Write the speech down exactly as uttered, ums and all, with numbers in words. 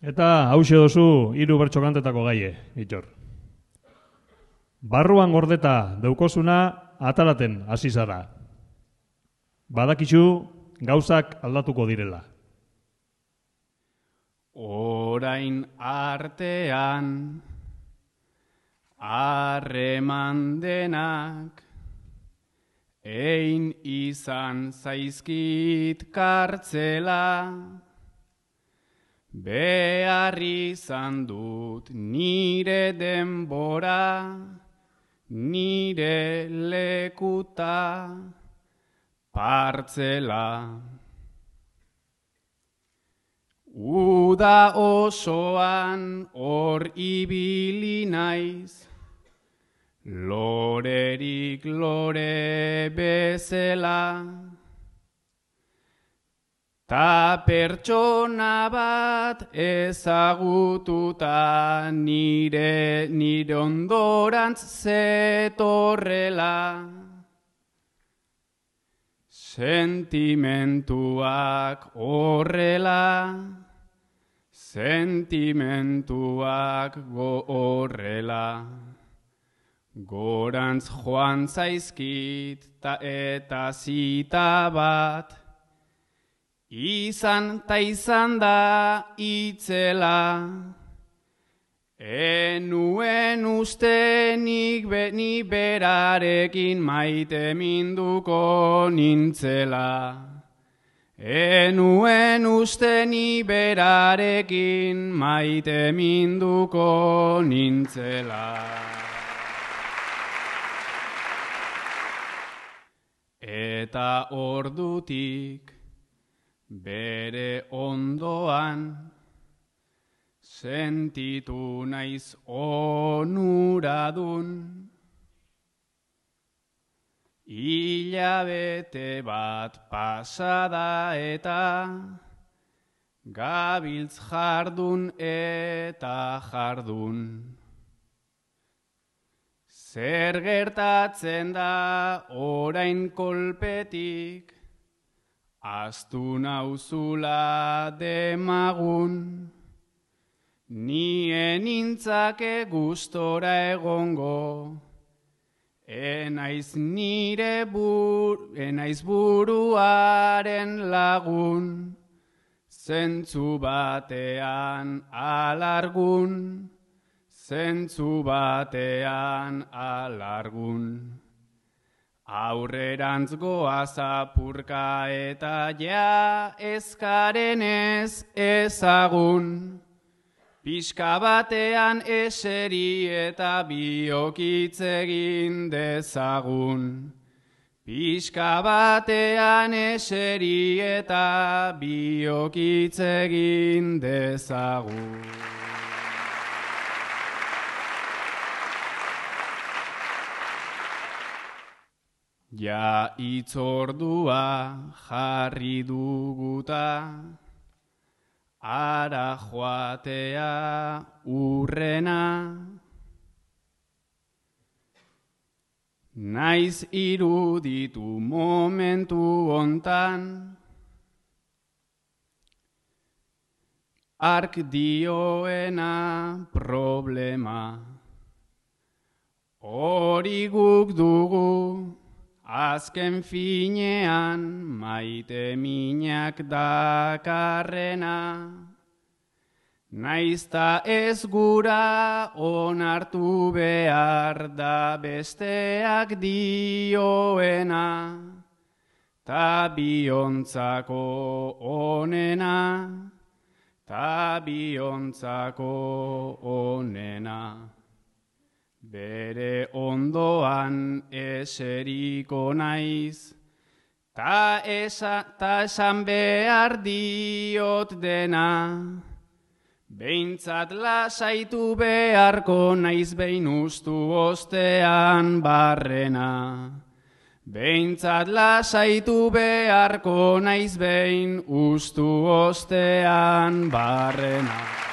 Eta hause dozu hiru bertso kantetako gaie, Itxor. Barruan gordeta daukozuna atalaten hasi zara. Badakizu gauzak aldatuko direla. Orain artean harreman denak ein izan zaizkit kartzela, behar izan dut nire denbora, nire lekuta partzela. Uda osoan hor ibili naiz, lorerik lore bezela, ta pertsona bat ezagututa nire nire ondorantz zetorrela. Sentimentuak horrela, sentimentuak horrela. Gorantz joan zaizkit ta eta zita bat, izan ta izan da itzela. Enuen uste nik ni berarekin maite minduko nintzela. Enuen uste ni berarekin maite minduko nintzela. Eta ordutik bere ondoan sentitu naiz onuradun. Hilabete bat pasada eta gabiltz jardun eta jardun. Zer gertatzen da orain kolpetik, ahaztu nauzula demagun. Nien nintzake gustora egongo, enaiz nire bur, enaiz buruaren lagun, zentzu batean alargun, zentzu batean alargun. Aurrerantz goaz apurka eta ja ezkaren ez ezagun. Pixka batean eseri eta biokitz egin dezagun. Pixka batean eseri eta biokitz egin dezagun. Ja itzordua jarri duguta, ara joatea urrena. Naiz iruditu momentu hontan, ark dioena problema. Hori guk dugu, azken finean maite minak dakarrena. Naizta ez gura onartu behar da besteak dioena, ta biontzako onena, ta biontzako onena. Bere ondoan eseriko naiz, ta, esa, ta esan behar diot dena. Behintzat lasaitu beharko naiz behin ustu ostean barrena. Behintzat lasaitu beharko naiz behin ustu ostean barrena.